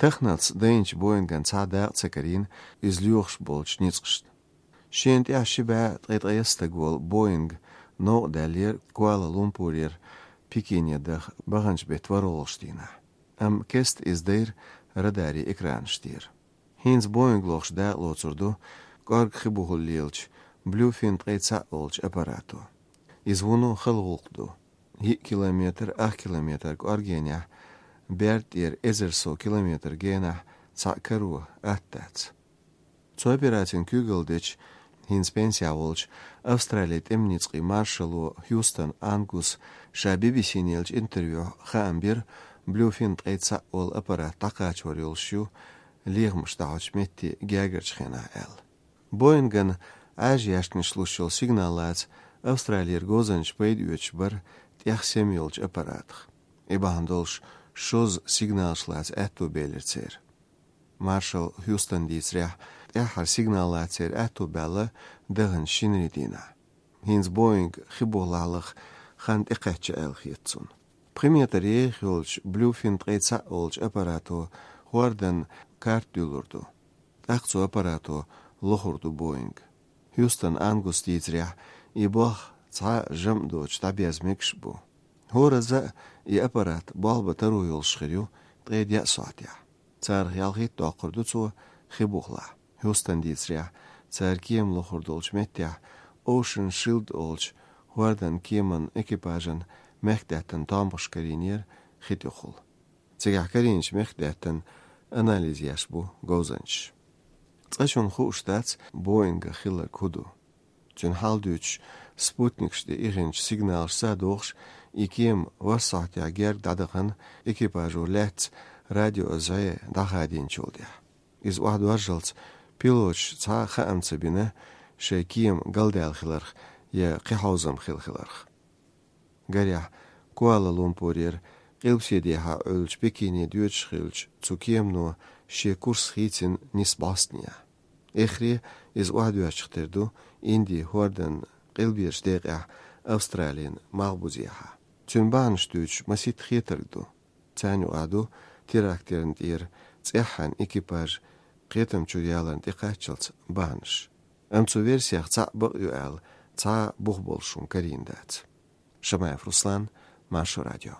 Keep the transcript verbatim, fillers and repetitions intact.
تخنص دينش بوينغان صادق سكرين إزليوخش بولش نيسقشت شينت يا شبا تغيط يستقول بوينغ نو دالير كوالا لومبورير بيكينيا دخ بغنش بيتورولشتينا أم كست إزدير رداري إكرانشتير هينز بوينغ لوخش دا لوتسردو قارق خبوه الليلش بلو فين تغيط ساقولش أباراتو إزونو خلغوقدو هي كيلومتر أخ كيلومتر قارجينيا بيرتير إزرسو كيلومتر جينح تساكروه أتات تو أبيراتين كوغلديش هينز بنسياولش أستراليا إمنيتقي مارشالو هيوستن أنغوس شابي بيسينيلش انترفيو خامبير بلو فين تغيط ساقول أبارات تاقاش وريولشيو ليغمش داوش ميتي جاجرش خينا أل بوينغن عاجياش نشلوشيل سيغنالات أستراليا غوزنش بيد يوتشبر تيخ سيميولش أباراتخ إباندولش شوز سيغنالشلات أتو بيلرتير مارشال هيوستن ديتريح تيحر سيغنالاتير أتو بيلا دغن شينريدينا هينز بوينغ خبولالخ خاند إقاتش أل خيتسون بريمير تاريخ يولش بلو فين تغيط ساقولش أباراتو خوردن كارتيولوردو أقصو أباراتو لخوردو بوينغ هيوستن أنغوس ديتريح يبوخ تسعى جمدوش تابيز مكشبو هو رزق يأبرات بالبا ترو يلشخريو تغيد يأسواتيا تار يالغيت تاقردو تو خبوخلا هيوستن ديتريح تار كيم لخوردولش متيح اوشن شيلد اولش واردن كيمن اكيباجن مخدهتن تامبش كارينير خيتيخول تيجح كارينش مخدهتن أناليز يشبو غوزنش تاشون خوشتات بوينغ خيلر كودو جن حالدوش سبوتنيكش دي إيغنش سيغنال سادوخش إكيم وسعت يعجر دادغن إكيباجو لات راديو أزعي داخادين شولديح إز واحد ورجلت بيلوش تا خام تبينه شاكيم قلدال خلرخ يا قيحوزم خيل خلرخ قريح كوالا لومبورير قلبسيديها أولش بكيني ديوتش خيلش تسوكيم نو شي كورس خيتين نسباستنيا إخري إز واحد واشختردو إندي هوردن قلبيرش ديقع أسترالين مغبوزيها تنبانش دوش مسيت خيتردو تانيو قادو تيراكتيرن دير تسيحان إكيباج قيتم چوريالن تيقاتشلت بانش أمتو فيرسيخ تا بقيو آل تا بغبولشون كارين دات شمايف رسلان ماشو راديو